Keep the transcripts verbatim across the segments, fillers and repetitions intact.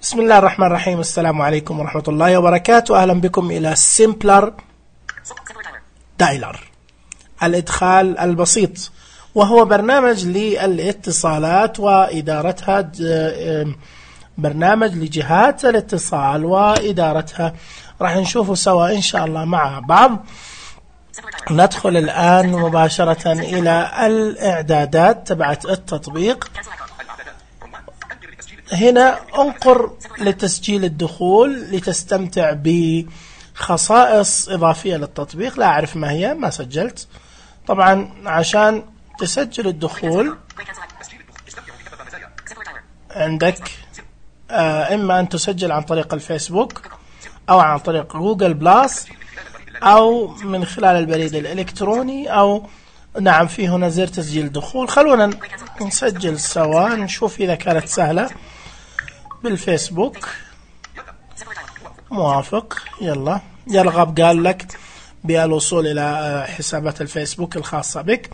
بسم الله الرحمن الرحيم. السلام عليكم ورحمة الله وبركاته. أهلا بكم إلى سيمبلر دايلر، الإدخال البسيط، وهو برنامج للاتصالات وإدارتها، برنامج لجهات الاتصال وإدارتها. راح نشوفه سوا إن شاء الله مع بعض. ندخل الآن مباشرة إلى الإعدادات تبعت التطبيق. هنا انقر لتسجيل الدخول لتستمتع بخصائص إضافية للتطبيق. لا أعرف ما هي، ما سجلت. طبعا عشان تسجل الدخول عندك آه إما أن تسجل عن طريق الفيسبوك أو عن طريق جوجل بلاس أو من خلال البريد الإلكتروني، أو نعم في هنا زر تسجيل دخول. خلونا نسجل سوا نشوف إذا كانت سهلة. بالفيسبوك موافق. يلا يرغب قال لك بالوصول إلى حسابات الفيسبوك الخاصة بك.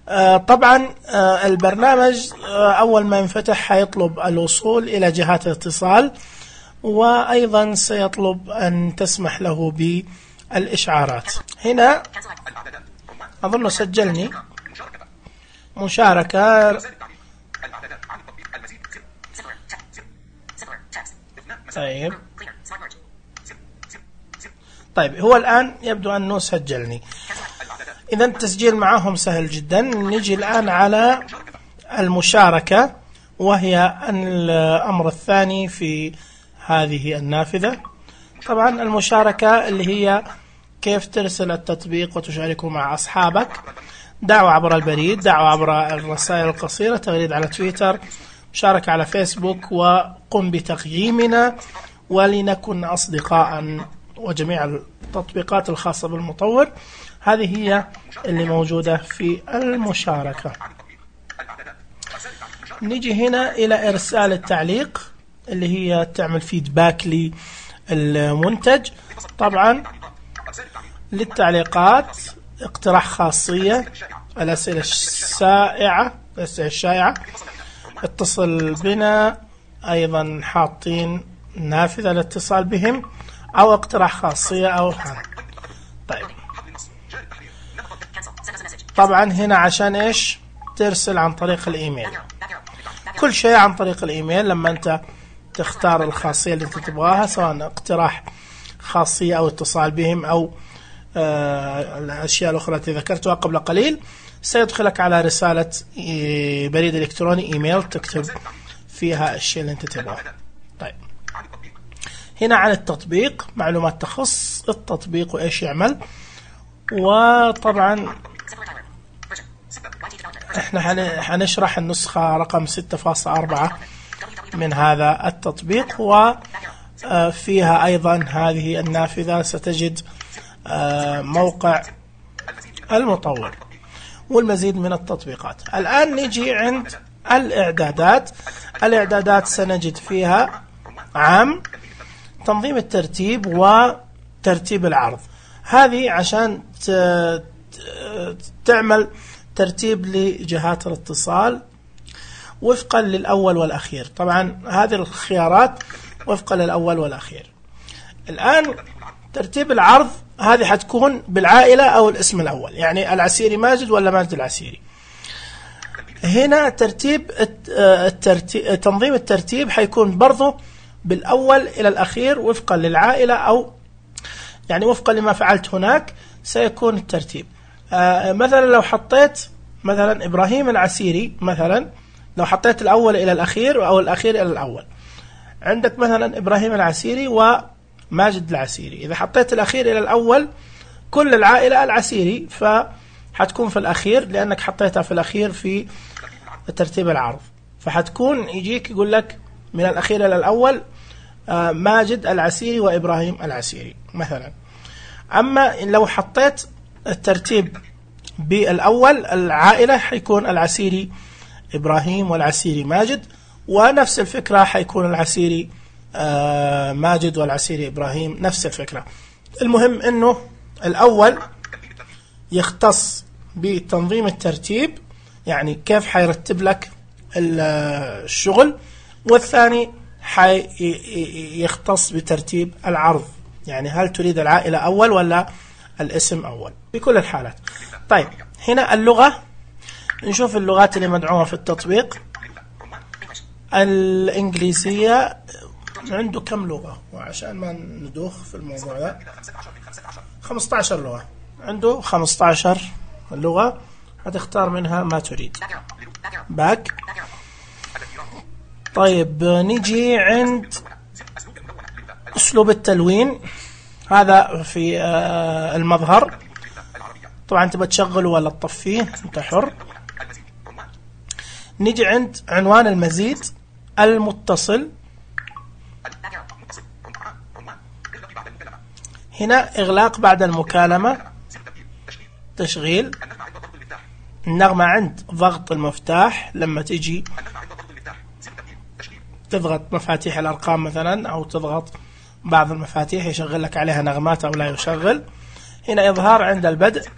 آه طبعا آه البرنامج آه أول ما ينفتح حيطلب الوصول إلى جهات الاتصال، وأيضا سيطلب أن تسمح له بالإشعارات. هنا أظن سجلني مشاركة. طيب طيب هو الآن يبدو أنه سجلني. إذا التسجيل معهم سهل جدا. نجي الآن على المشاركة، وهي الأمر الثاني في هذه النافذة. طبعا المشاركة اللي هي كيف ترسل التطبيق وتشاركه مع أصحابك. دعوة عبر البريد، دعوة عبر الرسائل القصيرة، تغريد على تويتر، مشاركة على فيسبوك، وقم بتقييمنا ولنكن أصدقاء، وجميع التطبيقات الخاصة بالمطور. هذه هي اللي موجودة في المشاركة. نيجي هنا إلى إرسال التعليق اللي هي تعمل فيدباك للمنتج. طبعا للتعليقات اقتراح خاصية، الأسئلة الشائعة، الأسئلة الشائعة، اتصل بنا، أيضا حاطين نافذة الاتصال بهم، أو اقتراح خاصية أو هذا. طيب طبعا هنا عشان إيش ترسل عن طريق الإيميل. كل شيء عن طريق الإيميل. لما أنت تختار الخاصية اللي أنت تبغاها، سواء اقتراح خاصية أو اتصال بهم أو آه الأشياء الأخرى التي ذكرتها قبل قليل، سيدخلك على رسالة بريد إلكتروني إيميل تكتب فيها الشيء اللي أنت تبغاه. طيب هنا عن التطبيق، معلومات تخص التطبيق وإيش يعمل. وطبعا احنا حنشرح النسخة رقم ستة فاصلة أربعة من هذا التطبيق، وفيها أيضا هذه النافذة ستجد موقع المطور والمزيد من التطبيقات. الآن نجي عند الإعدادات. الإعدادات سنجد فيها عام، تنظيم الترتيب، وترتيب العرض. هذه عشان تعمل ترتيب لجهات الاتصال وفقا للأول والأخير. طبعا هذه الخيارات وفقا للأول والأخير. الآن ترتيب العرض هذه حتكون بالعائلة أو الاسم الأول، يعني العسيري ماجد ولا ماجد العسيري. هنا ترتيب الترتيب، تنظيم الترتيب حيكون برضو بالأول إلى الأخير وفقا للعائلة، أو يعني وفقا لما فعلت هناك سيكون الترتيب. آه مثلا لو حطيت مثلا إبراهيم العسيري، مثلا لو حطيت الأول إلى الأخير أو الأخير إلى الأول، عندك مثلا إبراهيم العسيري وماجد العسيري. إذا حطيت الأخير إلى الأول كل العائلة العسيري، فحتكون في الأخير لأنك حطيتها في الأخير في ترتيب العرض، فحتكون يجيك يقول لك من الأخير إلى الأول آه ماجد العسيري وإبراهيم العسيري مثلا. أما لو حطيت الترتيب بالأول العائلة حيكون العسيري إبراهيم والعسيري ماجد، ونفس الفكرة حيكون العسيري آه ماجد والعسيري إبراهيم، نفس الفكرة. المهم أنه الأول يختص بتنظيم الترتيب، يعني كيف حيرتب لك الشغل، والثاني حيختص بترتيب العرض، يعني هل تريد العائلة أول ولا الاسم أول في كل الحالات. طيب هنا اللغة، نشوف اللغات اللي مدعومة في التطبيق. الإنجليزية عنده كم لغة؟ وعشان ما ندوخ في الموضوع ده، خمسة عشر لغة، عنده خمسة عشر لغة، هتختار منها ما تريد. باك. طيب نيجي عند أسلوب التلوين، هذا في المظهر، طبعا تبى تشغله ولا تطفيه انت حر. نيجي عند عنوان المزيد، المتصل، هنا إغلاق بعد المكالمة، تشغيل، النغمة عند ضغط المفتاح، لما تيجي تضغط مفاتيح الأرقام مثلا أو تضغط بعض المفاتيح يشغل لك عليها نغمات أو لا يشغل. هنا إظهار عند البدء،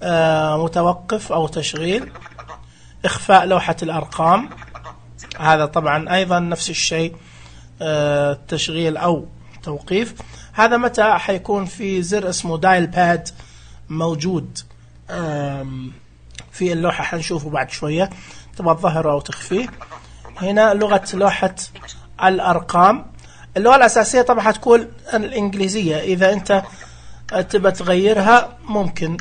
آه متوقف أو تشغيل، إخفاء لوحة الأرقام، هذا طبعا أيضا نفس الشيء، آه تشغيل أو توقيف. هذا متى حيكون في زر اسمه دايل باد موجود في اللوحة، حنشوفه بعد شوية، تبغى تظهره أو تخفيه. هنا لغة لوحة الأرقام، اللغة الأساسية طبعا حتكون الإنجليزية، إذا أنت تبى تغيرها ممكن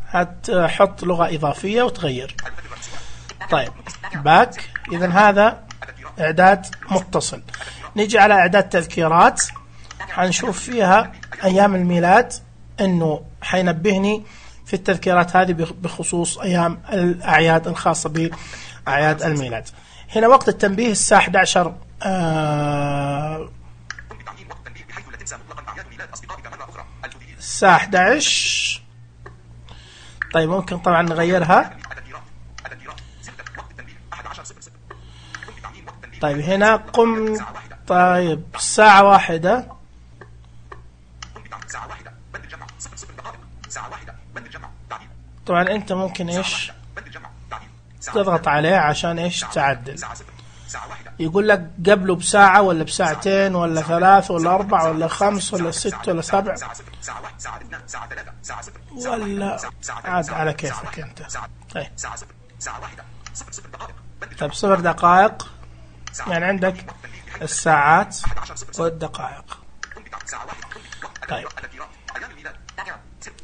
هتحط لغة إضافية وتغير. طيب باك، إذا هذا إعداد متصل. نيجي على إعداد تذكيرات، حنشوف فيها أيام الميلاد، إنه حينبهني في التذكيرات هذه بخصوص أيام الأعياد الخاصة بأعياد الميلاد. هنا وقت التنبيه الساعة أحد عشر آه الساعة أحد عشر. طيب ممكن طبعا نغيرها. طيب هنا قم، طيب الساعة واحدة، طبعا انت ممكن ايش تضغط عليه عشان ايش تعدل. يقول لك قبله بساعة ولا بساعتين ولا ثلاث ولا أربع ولا خمس ولا ست ولا سبع، ولا عاد على كيفك انت. طيب طيب صفر دقائق، يعني عندك الساعات والدقائق. طيب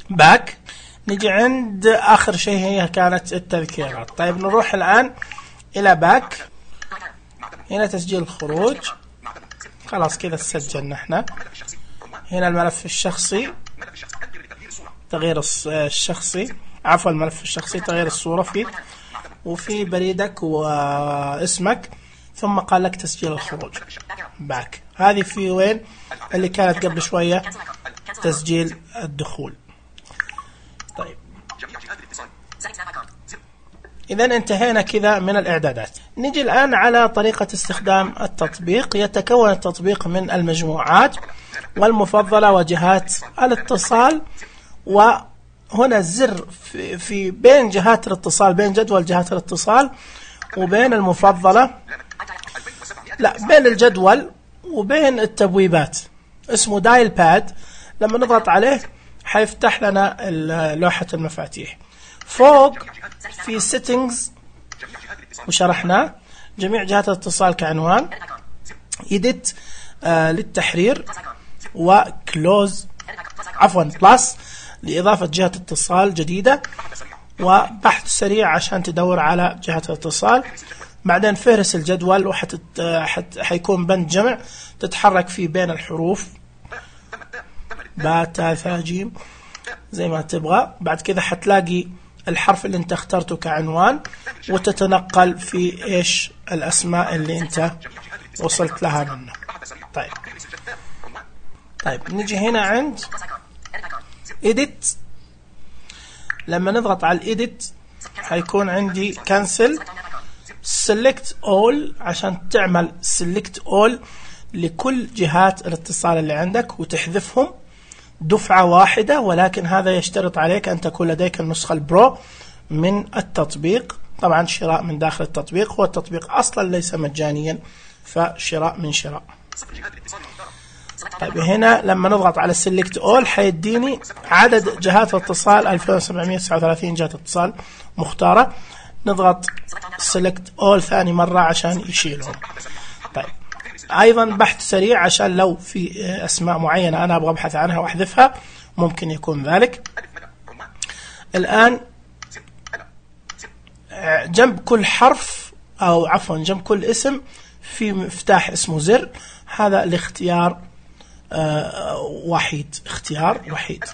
باك، نجي عند آخر شيء هي كانت التذكيرات. طيب نروح الآن إلى باك، هنا تسجيل الخروج، خلاص كذا سجلنا احنا. هنا الملف الشخصي، تغيير الشخصي، عفوا الملف الشخصي تغيير الصورة فيه، وفي بريدك واسمك، ثم قال لك تسجيل الخروج. باك، هذه في وين اللي كانت قبل شوية تسجيل الدخول. طيب إذا انتهينا كذا من الإعدادات. نجي الآن على طريقة استخدام التطبيق. يتكون التطبيق من المجموعات والمفضلة وجهات الاتصال، وهنا الزر في, في بين جهات الاتصال، بين جدول جهات الاتصال وبين المفضلة، لا بين الجدول وبين التبويبات، اسمه دايل باد. لما نضغط عليه حيفتح لنا لوحة المفاتيح. فوق في settings وشرحناه، جميع جهات الاتصال كعنوان، edit آه للتحرير، وكلوز عفوا بلس لإضافة جهة اتصال جديدة، وبحث سريع عشان تدور على جهة الاتصال. بعدين فهرس الجدول، وحت حيكون بند جمع تتحرك فيه بين الحروف با تا ثا جيم زي ما تبغى. بعد كذا حتلاقي الحرف اللي انت اخترته كعنوان، وتتنقل في ايش الاسماء اللي انت وصلت لها منه. طيب طيب نجي هنا عند edit. لما نضغط على الإيديت حيكون عندي cancel select all، عشان تعمل select all لكل جهات الاتصال اللي عندك وتحذفهم دفعة واحدة، ولكن هذا يشترط عليك أن تكون لديك النسخة البرو من التطبيق. طبعا شراء من داخل التطبيق، هو التطبيق أصلا ليس مجانيا فشراء من شراء. طيب هنا لما نضغط على Select All حيديني عدد جهات الاتصال ألفين وسبعمائة وتسعة وثلاثين جهة اتصال مختارة. نضغط Select All ثاني مرة عشان يشيلهم. طيب أيضا بحث سريع عشان لو في أسماء معينة أنا أبغى أبحث عنها وأحذفها ممكن يكون ذلك. الآن جنب كل حرف أو عفوا جنب كل اسم في مفتاح اسمه زر، هذا الاختيار آه وحيد، اختيار وحيد.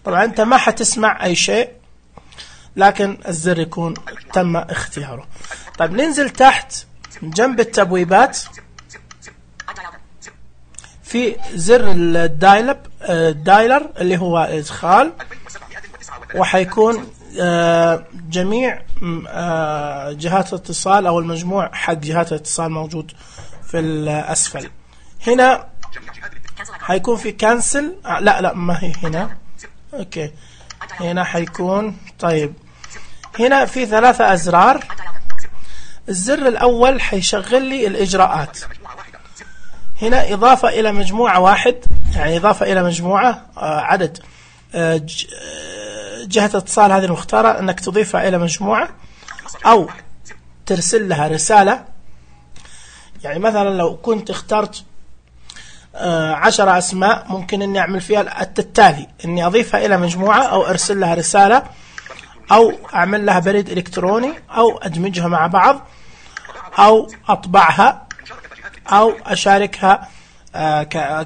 طبعا أنت ما حتسمع أي شيء لكن الزر يكون تم اختياره. طيب ننزل تحت جنب التبويبات في زر الدايلب الدايلر اللي هو إدخال، وحيكون آه جميع آه جهات الاتصال أو المجموع حق جهات الاتصال موجود في الأسفل. هنا حيكون في كانسل، آه لا لا ما هي هنا، اوكي هنا حيكون. طيب هنا في ثلاثة أزرار. الزر الأول حيشغل لي الإجراءات. هنا إضافة إلى مجموعة واحد، يعني إضافة إلى مجموعة آه عدد آه جهة الاتصال هذه المختارة أنك تضيفها إلى مجموعة أو ترسل لها رسالة. يعني مثلا لو كنت اخترت عشر أسماء ممكن أني أعمل فيها التالي، أني أضيفها إلى مجموعة أو أرسل لها رسالة أو أعمل لها بريد إلكتروني أو أدمجها مع بعض أو أطبعها أو أشاركها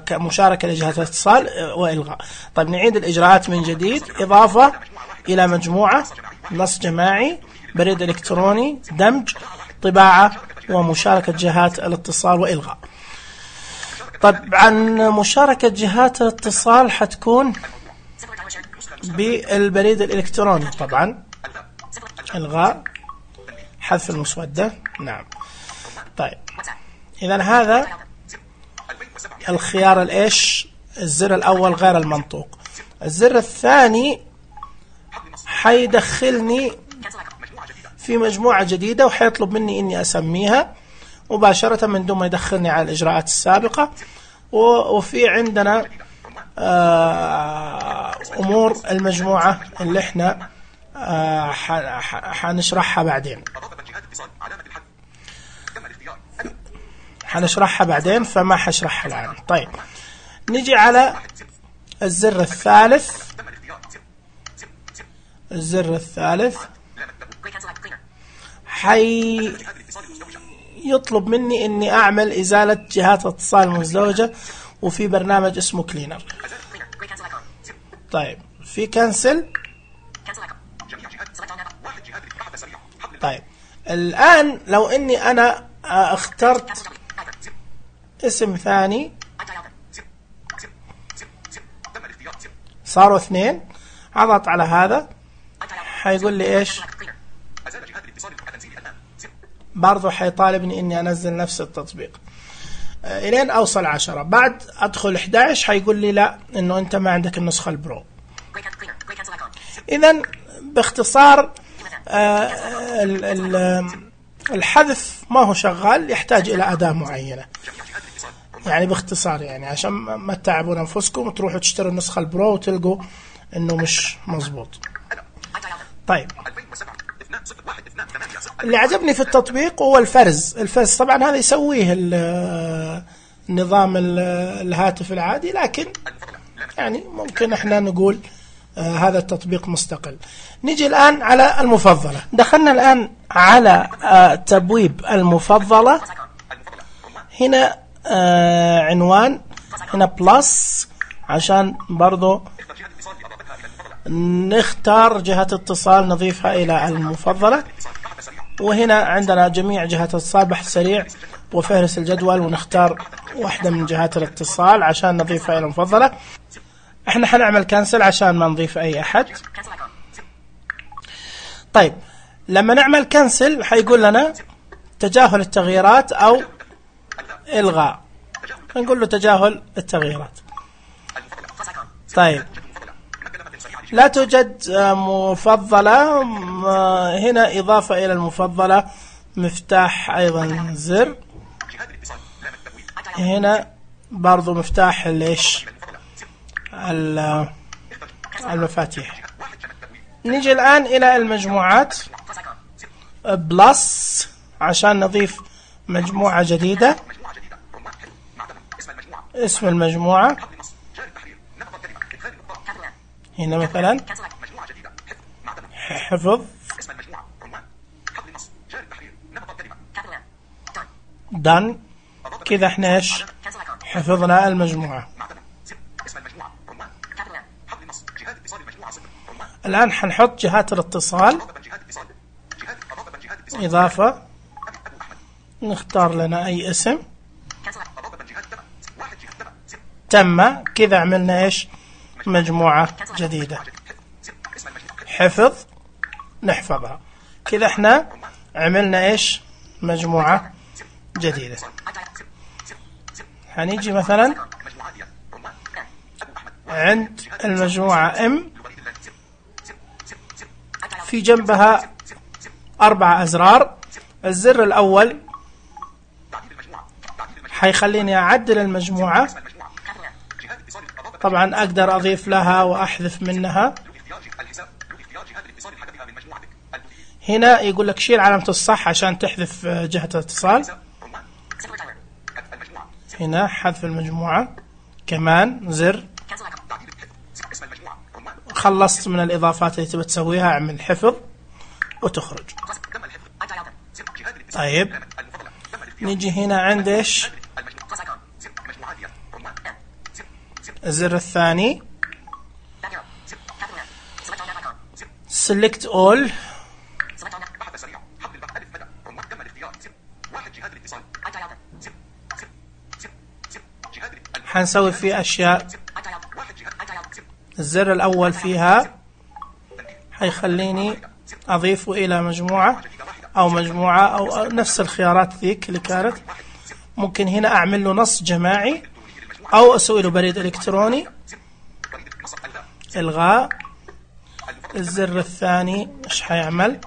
كمشاركة لجهات الاتصال وإلغاء. طيب نعيد الإجراءات من جديد. إضافة إلى مجموعة، نص جماعي، بريد إلكتروني، دمج، طباعة، ومشاركة جهات الاتصال وإلغاء. طيب عن مشاركة جهات الاتصال حتكون بالبريد الإلكتروني طبعا، إلغاء، حذف المسودة، نعم. طيب إذن هذا الخيار الإيش الزر الأول غير المنطوق. الزر الثاني حيدخلني في مجموعة جديدة وحيطلب مني إني أسميها مباشرة من دون ما يدخلني على الإجراءات السابقة. وفي عندنا أمور المجموعة اللي احنا حنشرحها بعدين حنشرحها بعدين فما حشرحها الآن. طيب نجي على الزر الثالث. الزر الثالث حي يطلب مني اني اعمل ازالة جهات اتصال مزدوجة وفي برنامج اسمه كلينر. طيب في كنسل. طيب الان لو اني انا اخترت اسم ثاني صاروا اثنين، اضغط على هذا حيقول لي ايش، برضو حيطالبني اني انزل نفس التطبيق الين اوصل عشرة. بعد ادخل احد عشر حيقول لي لا انه انت ما عندك النسخة البرو. اذن باختصار الحذف ما هو شغال، يحتاج الى اداة معينة. يعني باختصار يعني عشان ما تتعبون انفسكم وتروحوا تشتروا النسخة البرو وتلقوا انه مش مظبوط. طيب اللي عجبني في التطبيق هو الفرز. الفرز طبعا هذا يسويه النظام الهاتف العادي، لكن يعني ممكن احنا نقول آه هذا التطبيق مستقل. نيجي الآن على المفضلة. دخلنا الآن على آه تبويب المفضلة. هنا آه عنوان، هنا بلس عشان برضو نختار جهة اتصال نضيفها إلى المفضلة. وهنا عندنا جميع جهات الاتصال، بحث سريع وفهرس الجدول، ونختار واحدة من جهات الاتصال عشان نضيفها إلى المفضلة. احنا حنعمل كانسل عشان ما نضيف أي أحد. طيب لما نعمل كانسل حيقول لنا تجاهل التغييرات أو إلغاء، نقول له تجاهل التغييرات. طيب لا توجد مفضلة، هنا إضافة إلى المفضلة، مفتاح أيضا زر هنا برضو مفتاح ليش المفاتيح. نيجي الآن إلى المجموعات بلس عشان نضيف مجموعة جديدة. اسم المجموعة هنا مثلا حفظ دان. كذا احنا ايش حفظنا المجموعة. الآن حنحط جهات الاتصال إضافة. نختار لنا أي اسم. تم. كذا عملنا ايش مجموعة جديدة. حفظ نحفظها. كذا احنا عملنا ايش مجموعة جديدة. هنيجي مثلا عند المجموعة ام في جنبها أربع أزرار. الزر الأول حيخليني أعدل المجموعة. طبعا أقدر أضيف لها وأحذف منها. هنا يقول لك شيل علامة الصح عشان تحذف جهة الاتصال. هنا حذف المجموعة كمان زر. خلصت من الإضافات اللي تبي تسويها. اعمل حفظ وتخرج. طيب نيجي هنا عند ايش الزر الثاني select all. حنسوي فيه أشياء. الزر الأول فيها حيخليني أضيفه إلى مجموعة أو مجموعة أو نفس الخيارات ذيك اللي كانت. ممكن هنا أعمل له نص جماعي أو أسوي له بريد إلكتروني. إلغاء. الزر الثاني إيش حيعمل؟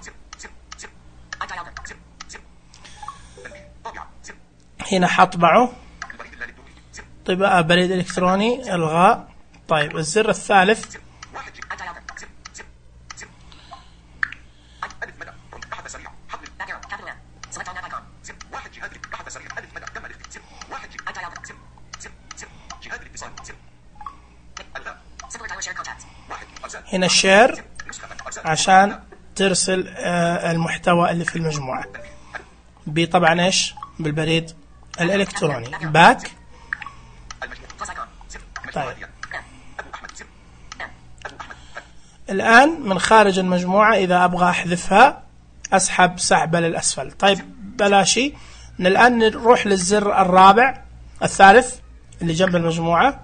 هنا حطبعه. طباعة بريد إلكتروني. إلغاء. طيب الزر الثالث هنا الشير عشان ترسل المحتوى اللي في المجموعة بطبعا ايش بالبريد الإلكتروني. باك. طيب الآن من خارج المجموعة إذا أبغى أحذفها أسحب سحبة للأسفل. طيب بلاشي. الآن نروح للزر الرابع الثالث اللي جنب المجموعة.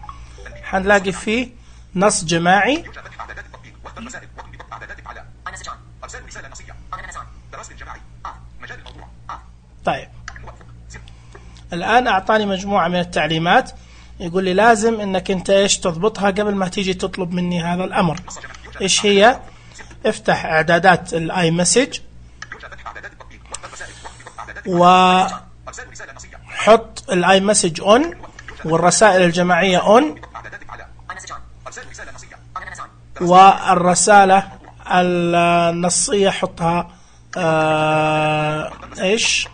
حنلاقي فيه نص جماعي. طيب الآن أعطاني مجموعة من التعليمات. يقول لي لازم انك انت ايش تضبطها قبل ما تيجي تطلب مني هذا الامر. ايش هي؟ افتح اعدادات الاي مسج وحط الاي مسج اون والرسائل الجماعية اون والرسالة النصية حطها آه ايش.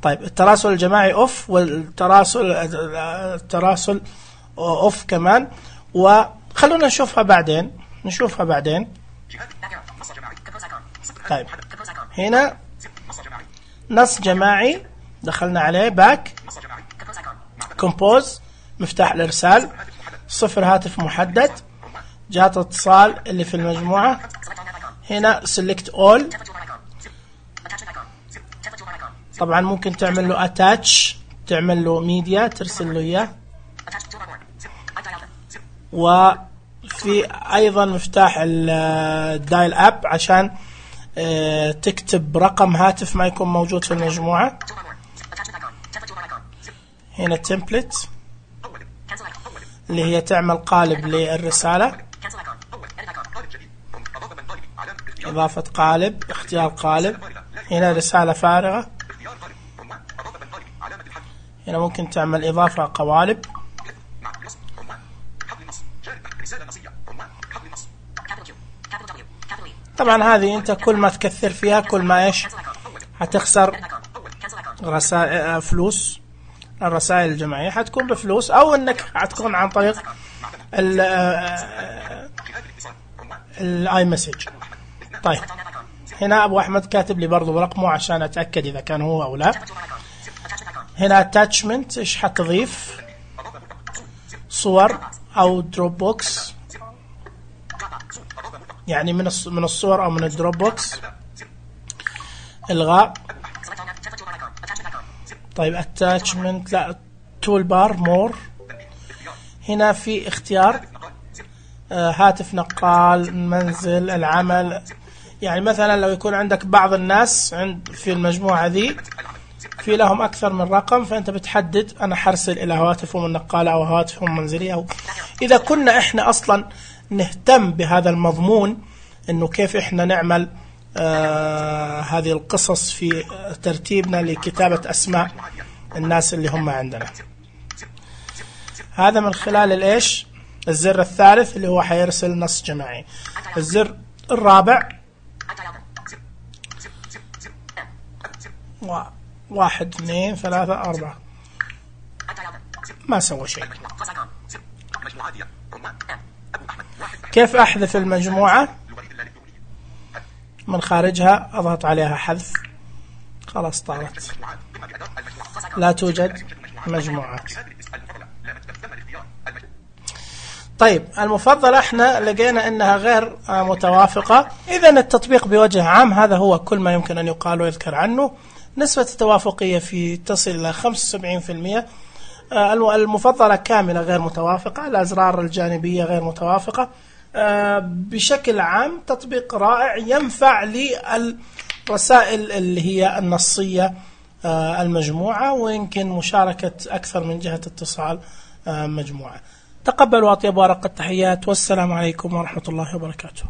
طيب التراسل الجماعي اوف والتراسل التراسل اوف كمان. وخلونا نشوفها بعدين نشوفها بعدين. طيب هنا نص جماعي دخلنا عليه. باك. كومبوز مفتاح الارسال. صفر هاتف محدد. جهات الاتصال اللي في المجموعة. هنا select all. طبعا ممكن تعمل له attach تعمل له ميديا ترسل له اياه. وفي ايضا مفتاح الدايل اب عشان تكتب رقم هاتف ما يكون موجود في المجموعة. هنا template اللي هي تعمل قالب للرسالة. إضافة قالب. اختيار قالب. هنا رسالة فارغة. هنا ممكن تعمل إضافة قوالب. طبعا هذه أنت كل ما تكثر فيها كل ما إيش هتخسر رسائل فلوس. الرسائل الجماعية حتكون بفلوس أو إنك حتكون عن طريق الاي مسج. طيب هنا أبو أحمد كاتب لي برضو برقمه عشان أتأكد إذا كان هو أو لا. هنا attachment إيش حتضيف؟ صور أو دروب بوكس، يعني من من الصور أو من الدروب بوكس. إلغاء. طيب attachment لا tool bar more. هنا في اختيار آه هاتف نقال، منزل، العمل. يعني مثلا لو يكون عندك بعض الناس عند في المجموعة ذي في لهم أكثر من رقم، فأنت بتحدد أنا حرسل إلى هواتفهم النقالة أو هواتفهم المنزلية. أو إذا كنا إحنا أصلا نهتم بهذا المضمون إنه كيف إحنا نعمل آه هذه القصص في ترتيبنا لكتابة أسماء الناس اللي هم عندنا. هذا من خلال الإيش الزر الثالث اللي هو حيرسل نص جماعي. الزر الرابع واحد اثنين ثلاثة أربعة ما سوى شيء. كيف أحذف المجموعة؟ من خارجها أضغط عليها حذف، خلاص طارت، لا توجد مجموعات. طيب المفضلة احنا لقينا انها غير متوافقة. اذا التطبيق بوجه عام هذا هو كل ما يمكن ان يقال ويذكر عنه. نسبة التوافقية في تصل الى خمسة وسبعين بالمئة. المفضلة كاملة غير متوافقة، الازرار الجانبية غير متوافقة. بشكل عام تطبيق رائع ينفع للرسائل اللي هي النصية المجموعة، ويمكن مشاركة أكثر من جهة اتصال مجموعة. تقبلوا أطيب ورق التحيات، والسلام عليكم ورحمة الله وبركاته.